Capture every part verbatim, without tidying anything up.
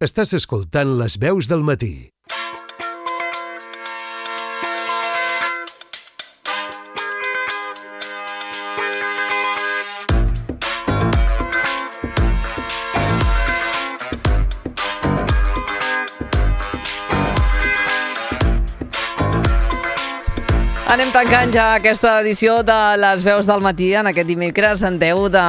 Estàs escoltant Les Veus del Matí. Anem tancant ja aquesta edició de Les Veus del Matí en aquest dimecres en deu de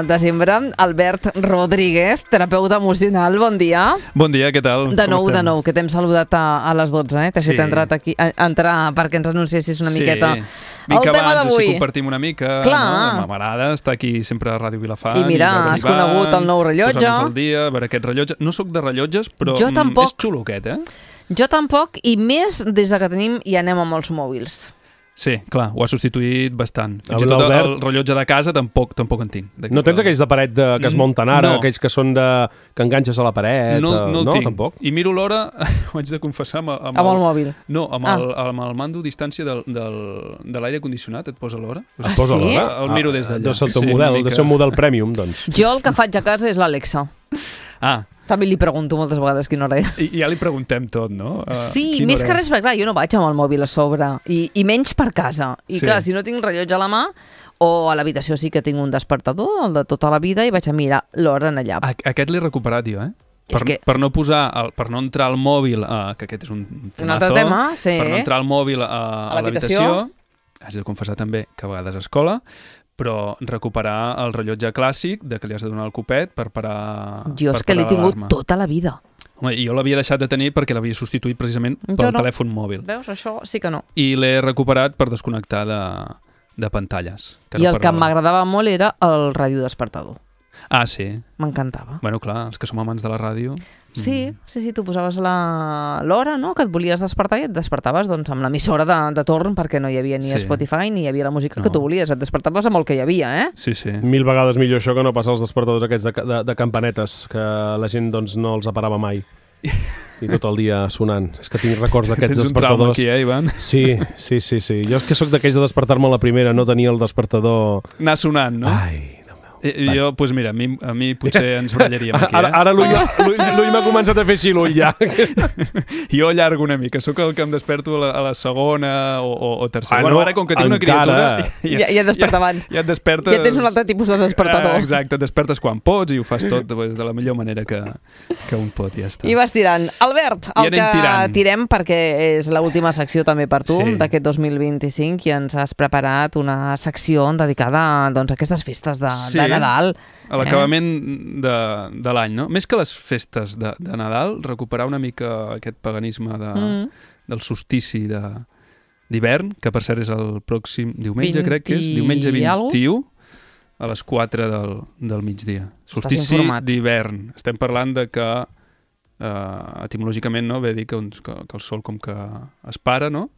desembre. Albert Rodríguez, terapeuta emocional, bon dia. Bon dia, què tal? De nou, de nou, que t'hem saludat a, a les dotze, eh? T'he sí. fet entrar, aquí, a, entrar perquè ens anunciessis una sí. miqueta Vinc el tema abans, d'avui. Així compartim una mica. Clar. No? M'agrada estar aquí sempre a Ràdio Vilafant. I mira, i has conegut el nou rellotge. Posar-nos al dia, a veure aquest rellotge. No sóc de rellotges, però jo tampoc. és xulo aquest, eh? Jo tampoc, i més des que tenim i anem amb els mòbils. Sí, clar, ho ha substituït bastant. Fins el i tot Albert... el rellotge de casa tampoc tampoc en tinc. No tens aquells de paret de, que es munten ara, no. aquells que són de que enganxes a la paret? No, no, no tinc. Tampoc? I miro l'hora, ho haig de confessar, amb, amb, amb el, el mòbil. No, amb, ah. el, amb el mando a distància del, del, de l'aire condicionat, et posa l'hora. Ah, posa sí? El, el miro des d'allà. Deu ser el teu sí, model, mica... deu ser un model premium, doncs. Jo el que faig a casa és l'Alexa. Ah. També li pregunto moltes vegades quina hora és. I ja li preguntem tot, no? Uh, sí, més que res, perquè clar, jo no vaig amb el mòbil a sobre, i, i menys per casa. I sí. clar, si no tinc rellotge a la mà, o a l'habitació sí que tinc un despertador, el de tota la vida, i vaig a mirar l'hora en allà. A aquest l'he recuperat jo, eh? Per, que... per no posar, el, per no entrar al mòbil, uh, que aquest és un temazo, un altre tema, sí. Per no entrar al mòbil uh, a, a l'habitació, haig de confessar també que a vegades a escola, però recuperar el rellotge clàssic de que li has de donar el copet per parar Jo és que l'he tingut tota la vida. Home, jo l'havia deixat de tenir perquè l'havia substituït precisament pel no. telèfon mòbil. Veus, això sí que no. I l'he recuperat per desconnectar de, de pantalles. Que I no el que m'agradava molt era el radiodespertador. Ah, sí? M'encantava. Bueno, clar, els que som amants de la ràdio... Sí, sí, sí, tu posaves l'hora, no?, que et volies despertar i et despertaves doncs, amb l'emissora de, de torn, perquè no hi havia ni sí. Spotify ni hi havia la música no. que tu volies. Et despertaves amb el que hi havia, eh? Sí, sí. Mil vegades millor això que no passar els despertadors aquests de, de, de campanetes, que la gent doncs, no els aparava mai. I tot el dia sonant. És que tinc records d'aquests despertadors. Tens un trauma aquí, eh, Ivan? Sí, sí, sí, sí. Jo és que sóc d'aquells de despertar-me a la primera, no tenia el despertador... Anar sonant, no? Ai... I, jo, doncs pues mira, a mi, a mi potser ens barallaríem aquí, eh? Ara, ara l'ull m'ha començat a fer així, l'ull, ja. Jo allargo una mica, sóc el que em desperto a la, a la segona o, o, o tercera. Ah, bueno, no, ara, com que tinc una encara. criatura... Ja, ja et desperta abans. Ja, ja et despertes... Ja tens un altre tipus de despertador. Eh, exacte, et despertes quan pots i ho fas tot pues, de la millor manera que, que un pot, ja està. I vas tirant. Albert, el que tirant. tirem, perquè és l'última secció també per tu, sí. d'aquest dos mil vint-i-cinc, i ens has preparat una secció dedicada doncs, a aquestes festes de, sí. de Nadal. A l'acabament de, de l'any, no? Més que les festes de, de Nadal, recuperar una mica aquest paganisme de, mm. del solstici de, d'hivern, que per cert és el pròxim diumenge, vint crec que és, diumenge vint-i-u, a les quatre del, del migdia. Solstici d'hivern. Estem parlant de que, eh, etimològicament, no? Ve dir que, que, que el sol com que es para, no?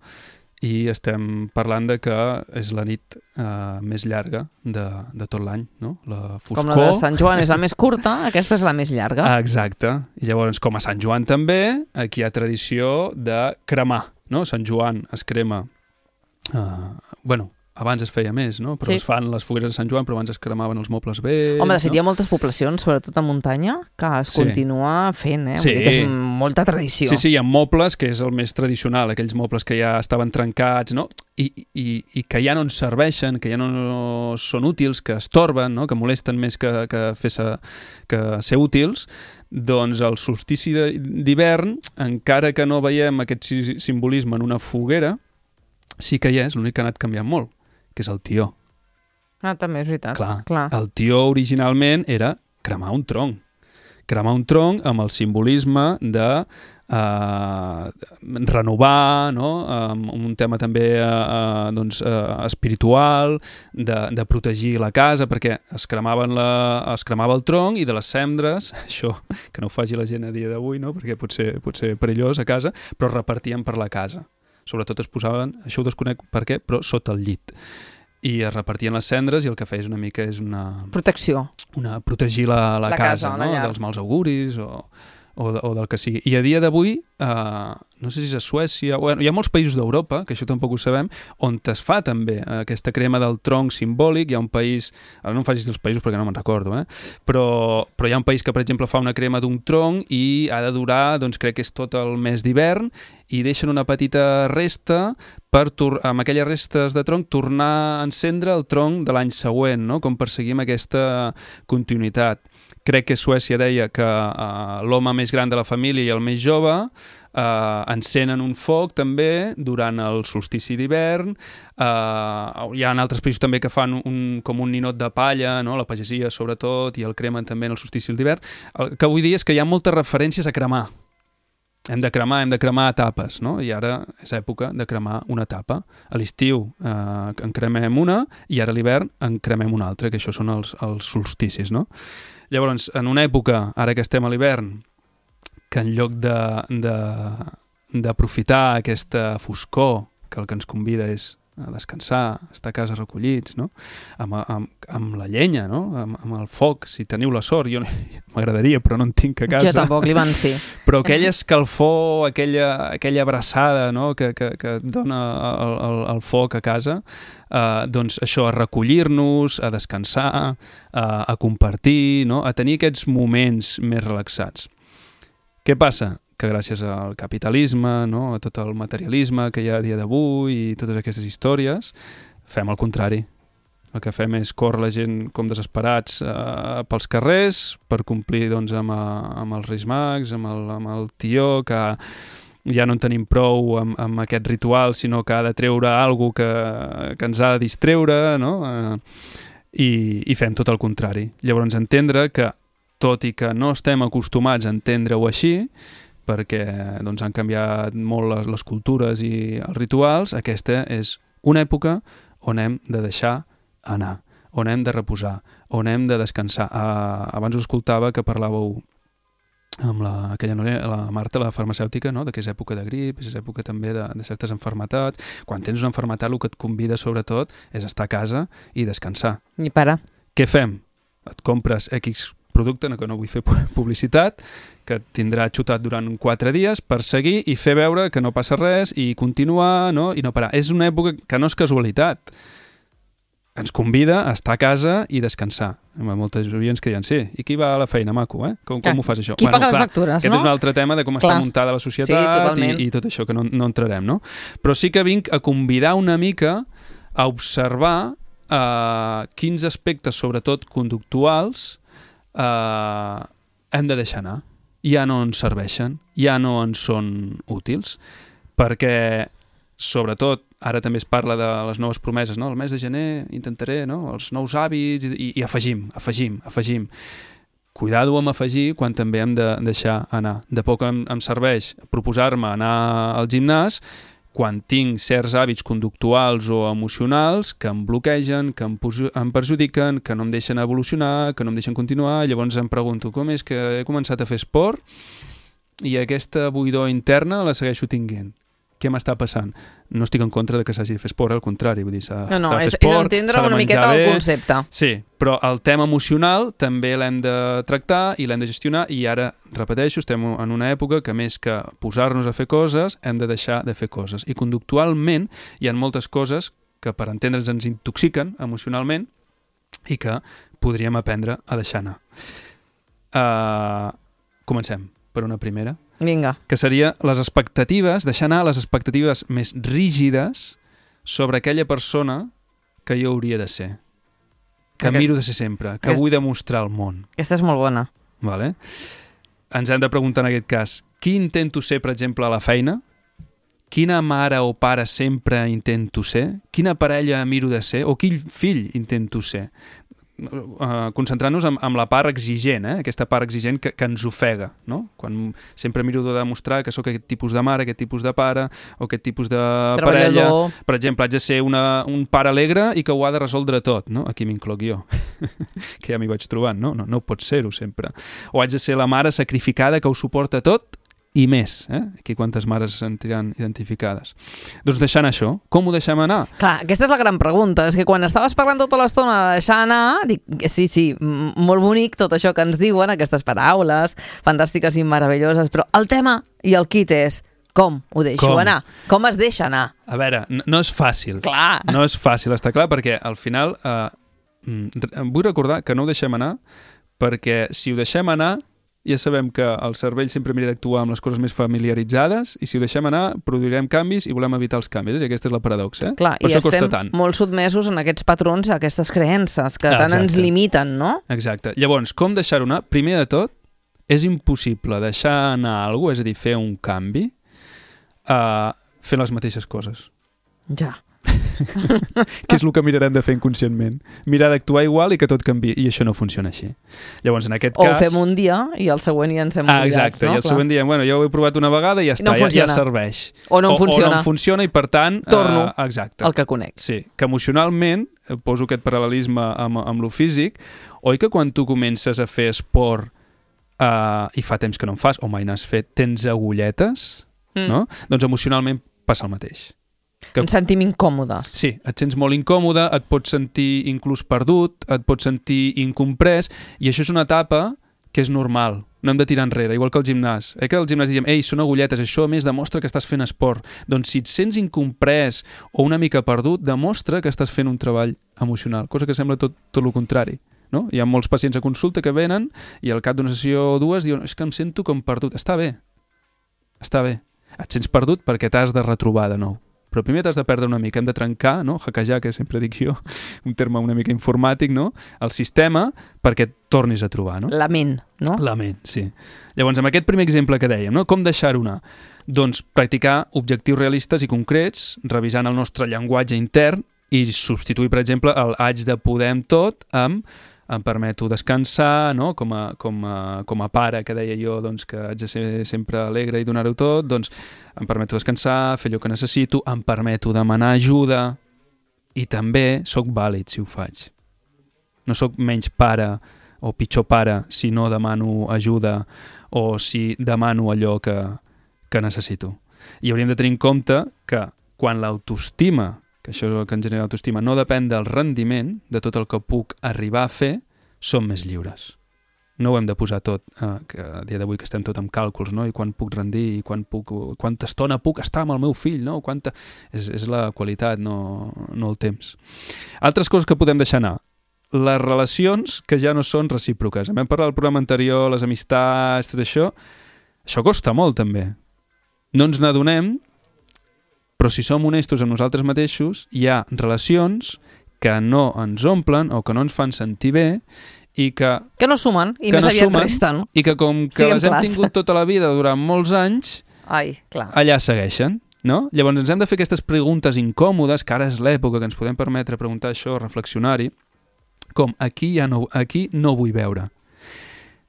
I estem parlant de que és la nit eh, més llarga de, de tot l'any, no? La foscor... Com la de Sant Joan és la més curta, aquesta és la més llarga. Ah, exacte. I llavors, com a Sant Joan també, aquí hi ha tradició de cremar, no? Sant Joan es crema... Eh, bueno, abans es feia més, no? Però sí. es fan les fogueres de Sant Joan, però abans es cremaven els mobles vells... Home, de fet, no? hi ha moltes poblacions, sobretot a muntanya, que es sí. continua fent, eh? Sí. Vull dir que és molta tradició. Sí, sí, hi ha mobles, que és el més tradicional, aquells mobles que ja estaven trencats, no? I, i, i que ja no ens serveixen, que ja no són útils, que estorben, no? Que molesten més que, que, fer sa, que ser útils, doncs el solstici d'hivern, encara que no veiem aquest simbolisme en una foguera, sí que hi és, l'únic que ha anat canviant molt, que és el tió. Ah, també és veritat. Clar, Clar. El tió originalment era cremar un tronc. Cremar un tronc amb el simbolisme de eh, renovar, no? Um, un tema també eh, eh, doncs, eh, espiritual, de, de protegir la casa, perquè es, cremaven la, es cremava el tronc i de les cendres, això que no ho faci la gent a dia d'avui, no? Perquè pot ser, pot ser perillós a casa, però es repartien per la casa. Sobretot es posaven, això ho desconec per què, però sota el llit. I es repartien les cendres i el que feia una mica és una... Protecció. Una, protegir la, la, la casa, casa no? Dels mals auguris o, o, o del que sigui. I a dia d'avui Uh, no sé si és a Suècia, bueno, hi ha molts països d'Europa, que això tampoc ho sabem, on es fa també aquesta crema del tronc simbòlic. Hi ha un país, ara no em facis els països perquè no me'n recordo, eh? però, però hi ha un país que, per exemple, fa una crema d'un tronc i ha de durar, doncs crec que és tot el mes d'hivern, i deixen una petita resta per, amb aquelles restes de tronc, tornar a encendre el tronc de l'any següent, no? Com perseguim aquesta continuïtat. Crec que Suècia deia que uh, l'home més gran de la família i el més jove Uh, encenen un foc també durant el solstici d'hivern. Uh, hi ha altres països també que fan un, com un ninot de palla, no? La pagesia sobretot, i el cremen també en el solstici d'hivern. El que vull dir és que hi ha moltes referències a cremar. Hem de cremar, hem de cremar etapes, no? I ara és època de cremar una etapa. A l'estiu uh, en cremem una i ara a l'hivern en cremem una altra, que això són els, els solsticis, no? Llavors, en una època, ara que estem a l'hivern, que en lloc d'aprofitar aquesta foscor, que el que ens convida és a descansar, a estar a casa recollits, no? amb, amb, amb la llenya, no? amb, amb el foc, si teniu la sort. Jo m'agradaria, però no en tinc a casa. Jo tampoc, li van ser. Però aquella escalfor, aquella, aquella abraçada, no? que, que, que dona el, el, el foc a casa, uh, doncs això, a recollir-nos, a descansar, a, a compartir, no? A tenir aquests moments més relaxats. Què passa? Que gràcies al capitalisme, no? A tot el materialisme que hi ha a dia d'avui i totes aquestes històries, fem el contrari. El que fem és córrer la gent com desesperats eh, pels carrers per complir doncs, amb, a, amb els Reis Mags, amb el, amb el tió, que ja no en tenim prou amb, amb aquest ritual, sinó que ha de treure alguna cosa que, que ens ha de distreure, no? Eh, i, i fem tot el contrari. Llavors entendre que tot i que no estem acostumats a entendre-ho així, perquè doncs, han canviat molt les, les cultures i els rituals, aquesta és una època on hem de deixar anar, on hem de reposar, on hem de descansar. Uh, abans us escoltava que parlàveu amb la, aquella noia, la Marta, la farmacèutica, no? De que és època de grip, és època també de, de certes enfermetats. Quan tens una enfermetat, el que et convida sobretot és estar a casa i descansar. I parar. Què fem? Et compres X producte, que no vull fer publicitat, que tindrà xutat durant quatre dies per seguir i fer veure que no passa res i continuar, no? I no parar. És una època que no és casualitat. Ens convida a estar a casa i descansar. Hi ha moltes oients que diuen, sí, i qui va a la feina, maco, eh? Com, com ho fas això? Qui bueno, paga clar, les factures, aquest no? és un altre tema de com clar. Està muntada la societat sí, i, i tot això, que no, no entrarem, no? Però sí que vinc a convidar una mica a observar uh, quins aspectes, sobretot conductuals, Uh, hem de deixar anar. Ja no ens serveixen, ja no ens són útils, perquè sobretot ara també es parla de les noves promeses, no? El mes de gener intentaré, no? Els nous hàbits i, i afegim, afegim, afegim. Cuidado amb afegir quan també hem de deixar anar. De poc em, em serveix proposar-me anar al gimnàs quan tinc certs hàbits conductuals o emocionals que em bloquegen, que em, em perjudiquen, que no em deixen evolucionar, que no em deixen continuar. Llavors em pregunto com és que he començat a fer esport i aquesta buidor interna la segueixo tinguent. Què m'està passant? No estic en contra de que s'hagi de fer esport, al contrari, vull dir, s'ha, no, no, s'ha de fer és, esport, és entendre una miqueta bé. El concepte. Sí, però el tema emocional també l'hem de tractar i l'hem de gestionar, i ara, repeteixo, estem en una època que més que posar-nos a fer coses, hem de deixar de fer coses. I conductualment hi ha moltes coses que per entendre's ens intoxiquen emocionalment i que podríem aprendre a deixar anar. Uh, comencem per una primera. Vinga. Que seria les expectatives, deixar anar les expectatives més rígides sobre aquella persona que jo hauria de ser. Que Aquest... miro de ser sempre, que Aquest... vull demostrar al món. Aquesta és molt bona. Vale? Ens hem de preguntar en aquest cas, qui intento ser, per exemple, a la feina? Quina mare o pare sempre intento ser? Quina parella miro de ser? O quin fill intento ser? Uh, concentrant-nos en, en la part exigent, eh? Aquesta part exigent que, que ens ofega, no? Quan sempre miro de demostrar que sóc aquest tipus de mare, aquest tipus de pare o aquest tipus de parella. Per exemple, haig de ser una, un pare alegre i que ho ha de resoldre tot, no? Aquí m'incloc jo, que ja m'hi vaig trobant, no? No, no pot ser-ho sempre. O haig de ser la mare sacrificada que ho suporta tot i més. Eh? Aquí quantes mares se sentiran identificades. Doncs deixant això, com ho deixem anar? Clar, aquesta és la gran pregunta. És que quan estaves parlant tota l'estona de deixar anar, dic, sí, sí, molt bonic tot això que ens diuen, aquestes paraules fantàstiques i meravelloses, però el tema i el kit és com ho deixo com? anar? Com es deixa anar? A veure, no, no és fàcil. Clar. No és fàcil, està clar, perquè al final eh, vull recordar que no ho deixem anar, perquè si ho deixem anar ja sabem que el cervell sempre mira d'actuar amb les coses més familiaritzades i si ho deixem anar produirem canvis i volem evitar els canvis. I aquesta és la paradoxa. Eh? Clar, per i això costa estem tant. molt sotmesos en aquests patrons, a aquestes creences que tant Exacte. ens limiten, no? Exacte. Llavors, com deixar-ho anar? Primer de tot, és impossible deixar anar alguna cosa, és a dir, fer un canvi uh, fent les mateixes coses. Ja. Que és el que mirarem de fer inconscientment. Mirar d'actuar igual i que tot canvi. I això no funciona així. Llavors, en aquest o cas... ho fem un dia i el següent ja ens hem ah, oblidat. exacte, no? i el Clar. següent dia, bueno, ja ho he provat una vegada i ja no està, ja, ja funciona. serveix. O no em funciona. O, o no em funciona i, per tant... Torno uh, exacte. el que conec. Sí, que emocionalment, poso aquest paral·lelisme amb, amb lo físic, oi que quan tu comences a fer esport uh, i fa temps que no en fas, o mai n'has fet, tens agulletes, Mm. no? Doncs emocionalment passa el mateix. Que... Ens sentim incòmodes. Sí, et sents molt incòmode, et pots sentir inclús perdut, et pots sentir incomprès, i això és una etapa que és normal. No hem de tirar enrere, igual que el gimnàs. Eh, que al gimnàs diem, ei, són agulletes, això a més demostra que estàs fent esport. Doncs si et sents incomprès o una mica perdut, demostra que estàs fent un treball emocional, cosa que sembla tot, tot el contrari. No? Hi ha molts pacients a consulta que venen i al cap d'una sessió o dues diuen, és que em sento com perdut. Està bé, està bé. Et sents perdut perquè t'has de retrobar de nou. Però primer t'has de perdre una mica, hem de trencar, no? hackejar, que sempre dic jo, un terme una mica informàtic, no? El sistema perquè et tornis a trobar, no? La ment, no? La ment, sí. Llavors, amb aquest primer exemple que dèiem, no? Com deixar-ho anar? Doncs practicar objectius realistes i concrets, revisant el nostre llenguatge intern i substituir, per exemple, el haig de poder amb tot amb em permeto descansar, no? com, a, com, a, com a pare que deia jo doncs, que haig de ser sempre alegre i donar-ho tot, doncs em permeto descansar, fer allò que necessito, em permeto demanar ajuda i també sóc vàlid si ho faig. No sóc menys pare o pitjor pare si no demano ajuda o si demano allò que, que necessito. I hauríem de tenir en compte que quan l'autoestima, que això és el que ens genera autoestima, no depèn del rendiment, de tot el que puc arribar a fer, som més lliures. No ho hem de posar tot, eh, que a dia d'avui que estem tot amb càlculs, no? I quan puc rendir, i quan puc, quanta estona puc estar amb el meu fill, no? Quanta... És, és la qualitat, no, no el temps. Altres coses que podem deixar anar. Les relacions que ja no són recíproques. Vam parlar al programa anterior, les amistats, tot això. Això costa molt, també. No ens n'adonem, però si som honestos amb nosaltres mateixos, hi ha relacions que no ens omplen o que no ens fan sentir bé i que... Que no sumen, i que més no aviat sumen, resten. I que com que Siguem les hem clars. tingut tota la vida durant molts anys, Ai, clar. allà segueixen, no? Llavors ens hem de fer aquestes preguntes incòmodes, que ara és l'època que ens podem permetre preguntar això, reflexionar-hi, com aquí, ja no, aquí no vull veure.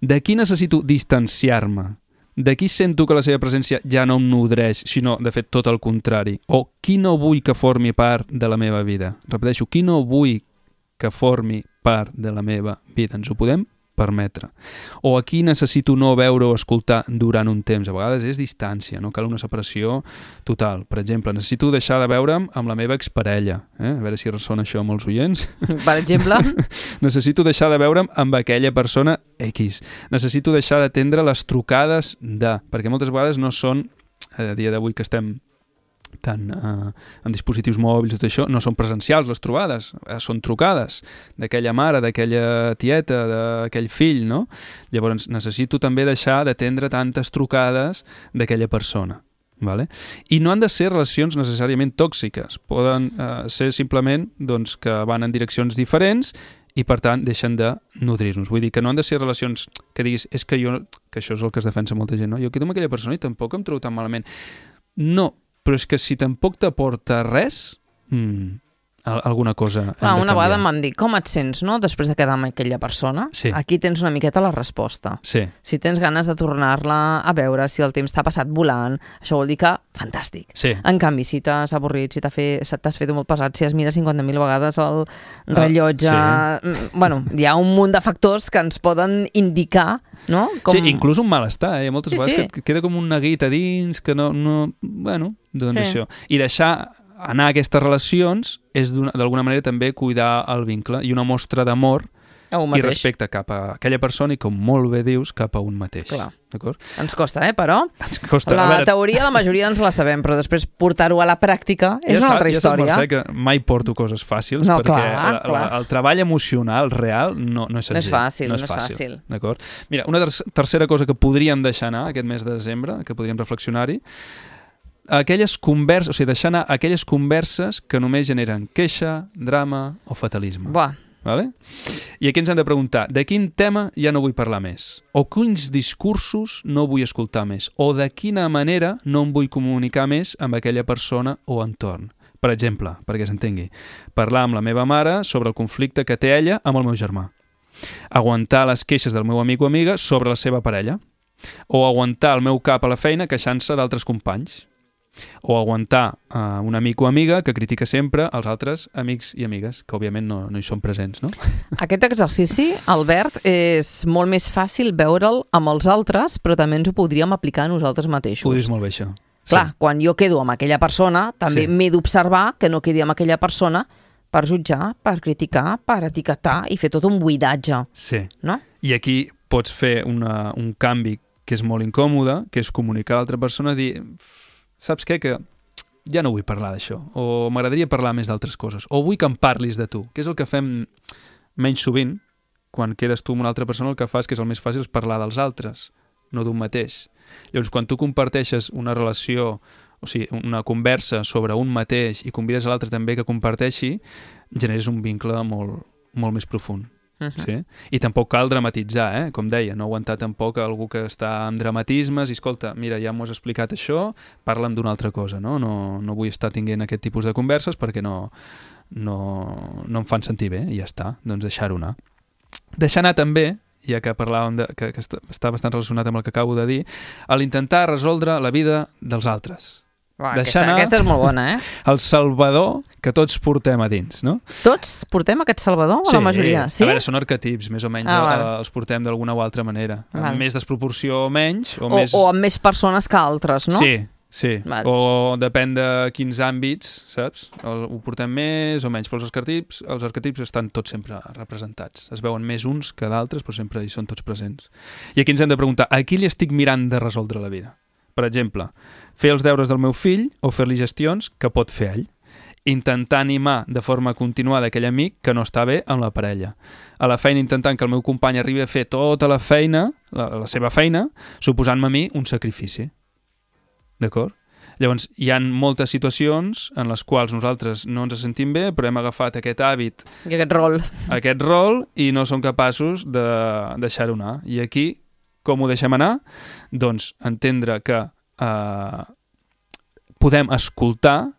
D'aquí necessito distanciar-me. D'aquí sento que la seva presència ja no em nodreix, sinó, de fet, tot el contrari. O qui no vull que formi part de la meva vida. Repeteixo, qui no vull que formi part de la meva vida. Ens ho podem permetre. O aquí necessito no veure o escoltar durant un temps. A vegades és distància, no cal una separació total. Per exemple, necessito deixar de veure'm amb la meva exparella. Eh? A veure si ressona això amb els oients. Per exemple? Necessito deixar de veure'm amb aquella persona X. Necessito deixar d'atendre les trucades de... Perquè moltes vegades no són, a dia d'avui que estem tant eh, en dispositius mòbils i tot això, no són presencials les trobades, eh, són trucades d'aquella mare, d'aquella tieta, d'aquell fill, no? Llavors necessito també deixar d'atendre tantes trucades d'aquella persona. Vale? I no han de ser relacions necessàriament tòxiques, poden eh, ser simplement doncs, que van en direccions diferents i per tant deixen de nodrir-nos. Vull dir que no han de ser relacions que diguis, és que jo, que això és el que es defensa molta gent, no? Jo quedo amb aquella persona i tampoc em trobo tan malament. No, però és que si tampoc t'aporta res, mmm, alguna cosa hem Clar, de una canviar. vegada em van dir, com et sents, no?, després de quedar amb aquella persona. Sí. Aquí tens una miqueta la resposta. Sí. Si tens ganes de tornar-la a veure, si el temps t'ha passat volant, això vol dir que fantàstic. Sí. En canvi, si t'has avorrit, si t'ha fe, si t'has fet molt pesat, si has mirat cinquanta mil vegades el rellotge... Ah, sí. Bueno, hi ha un munt de factors que ens poden indicar, no? Com... Sí, inclús un malestar, eh? Moltes Sí, vegades sí. que et queda com un neguit a dins, que no... no bueno, doncs Sí. això. I deixar anar a aquestes relacions és d'una- d'alguna manera també cuidar el vincle i una mostra d'amor A un i mateix. respecte cap a aquella persona i, com molt bé dius, cap a un mateix. Clar. D'acord? Ens costa, eh, però... Ens costa... La a veure, teoria la majoria ens la sabem, però després portar-ho a la pràctica és ja una altra saps, història. Ja saps, Mercè, que mai porto coses fàcils, No, perquè clar, la, clar. la, el treball emocional real no, no és No és senzill. fàcil, no és fàcil. D'acord? Mira, una ter tercera cosa que podríem deixar anar aquest mes de desembre, que podríem reflexionar-hi, aquelles converses, o sigui, deixar anar aquelles converses que només generen queixa, drama o fatalisme. Buah, Vale? I aquí ens hem de preguntar, de quin tema ja no vull parlar més? O quins discursos no vull escoltar més? O de quina manera no em vull comunicar més amb aquella persona o entorn? Per exemple, perquè s'entengui, parlar amb la meva mare sobre el conflicte que té ella amb el meu germà. Aguantar les queixes del meu amic o amiga sobre la seva parella. O aguantar el meu cap a la feina queixant-se d'altres companys. O aguantar uh, un amic o amiga que critica sempre els altres amics i amigues, que òbviament no, no hi són presents, no? aquest exercici, Albert, és molt més fàcil veure'l amb els altres, però també ens ho podríem aplicar a nosaltres mateixos. Ho dius molt bé, això. Clar, quan jo quedo amb aquella persona, també Sí. m'he d'observar que no quedi amb aquella persona per jutjar, per criticar, per etiquetar i fer tot un buidatge, Sí. no? I aquí pots fer una, un canvi que és molt incòmode, que és comunicar a l'altra persona i dir, saps què, que ja no vull parlar d'això, o m'agradaria parlar més d'altres coses, o vull que em parlis de tu, que és el que fem menys sovint, quan quedes tu amb una altra persona el que fas, que és el més fàcil, és parlar dels altres, no d'un mateix. Llavors, quan tu comparteixes una relació, o sigui, una conversa sobre un mateix i convides a l'altre també que comparteixi, generes un vincle molt, molt més profund. Uh -huh. Sí? I tampoc cal dramatitzar, eh? Com deia, no aguantar tampoc algú que està amb dramatismes i escolta, mira, ja m'ho has explicat això, parla'm d'una altra cosa, no? No, no vull estar tinguent aquest tipus de converses perquè no, no, no em fan sentir bé i ja està, doncs deixar-ho anar. Deixar anar també, ja que parlàvem de, que, que està, està bastant relacionat amb el que acabo de dir, a l'intentar resoldre la vida dels altres. Uah, Deixar aquesta, anar- aquesta és molt bona, eh? El salvador que tots portem a dins, no? Tots portem aquest Salvador, o la majoria? Sí? A veure, són arquetips, més o menys, Ah, ah, vale. els portem d'alguna o altra manera. Val. Amb més desproporció o menys, o, O, més... o amb més persones que altres, no? Sí, sí. Val. O depèn de quins àmbits, saps? El, ho portem més o menys, però els arquetips, els arquetips estan tots sempre representats. Es veuen més uns que d'altres, però sempre hi són tots presents. I aquí ens hem de preguntar, a qui li estic mirant de resoldre la vida? Per exemple, fer els deures del meu fill o fer-li gestions que pot fer ell. Intentar animar de forma continuada aquell amic que no està bé amb la parella. A la feina intentant que el meu company arribi a fer tota la feina, la, la seva feina, suposant-me a mi un sacrifici. D'acord? Llavors, hi ha moltes situacions en les quals nosaltres no ens sentim bé, però hem agafat aquest hàbit, I aquest rol. aquest rol, i no som capaços de deixar-ho anar. I aquí, com ho deixem anar? Doncs entendre que eh, podem escoltar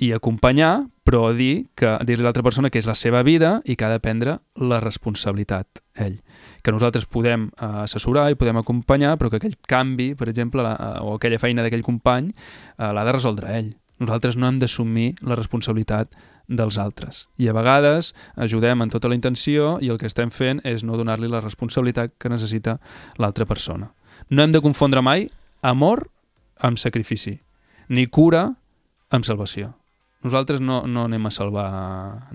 i acompanyar, però dir que dir-li a l'altra persona que és la seva vida i que ha de prendre la responsabilitat ell. Que nosaltres podem eh, assessorar i podem acompanyar, però que aquell canvi, per exemple, la, o aquella feina d'aquell company, eh, l'ha de resoldre ell. Nosaltres no hem d'assumir la responsabilitat dels altres. I a vegades ajudem en tota la intenció i el que estem fent és no donar-li la responsabilitat que necessita l'altra persona. No hem de confondre mai amor amb sacrifici, ni cura amb salvació. Nosaltres no, no anem a salvar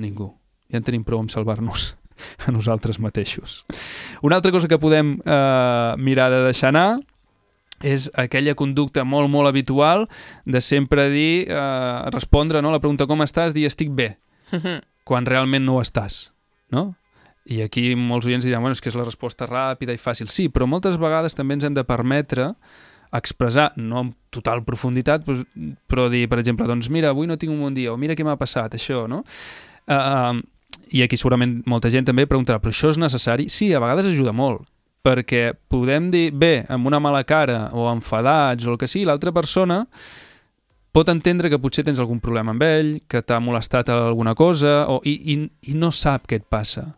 ningú. Ja en tenim prou amb salvar-nos a nosaltres mateixos. Una altra cosa que podem eh, mirar de deixar anar és aquella conducta molt, molt habitual de sempre dir, eh, respondre, no, la pregunta com estàs, dir estic bé, quan realment no ho estàs, no? I aquí molts oients diran, bueno, és que és la resposta ràpida i fàcil. Sí, però moltes vegades també ens hem de permetre expressar, no amb total profunditat, però dir, per exemple, doncs mira, avui no tinc un bon dia, o mira què m'ha passat, això, no? Uh, I aquí segurament molta gent també preguntarà, però això és necessari? Sí, a vegades ajuda molt, perquè podem dir, bé, amb una mala cara o enfadats o el que sigui, l'altra persona pot entendre que potser tens algun problema amb ell, que t'ha molestat alguna cosa, o, i, i, i no sap què et passa.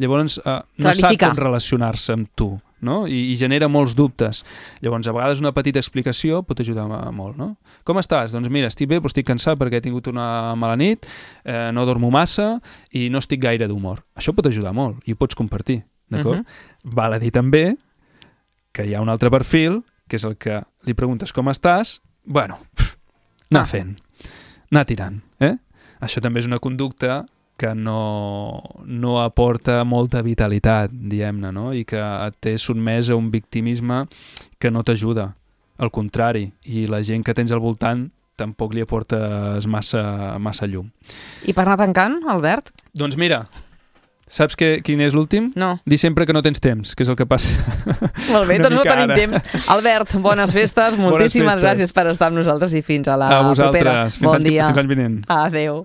Llavors, eh, no Clarificar. sap com relacionar-se amb tu, no? I, i genera molts dubtes. Llavors, a vegades una petita explicació pot ajudar molt, no? Com estàs? Doncs mira, estic bé, però estic cansat perquè he tingut una mala nit, eh, no dormo massa i no estic gaire d'humor. Això pot ajudar molt i ho pots compartir, d'acord? Uh-huh. Val a dir també que hi ha un altre perfil, que és el que li preguntes com estàs, bueno, pff, anar ah. fent, anar tirant, eh? Això també és una conducta que no, no aporta molta vitalitat, diguem-ne, no? I que et té sotmès a un victimisme que no t'ajuda. Al contrari, i la gent que tens al voltant tampoc li aportes massa, massa llum. I per anar tancant, Albert? Doncs mira, saps que, quin és l'últim? No. Dir sempre que no tens temps, que és el que passa. Molt bé, doncs no tenim ara. temps. Albert, bones festes, moltíssimes bones festes. gràcies per estar amb nosaltres i fins a la a vosaltres. propera. Fins Bon any, dia. Fins l'any vinent. Adéu.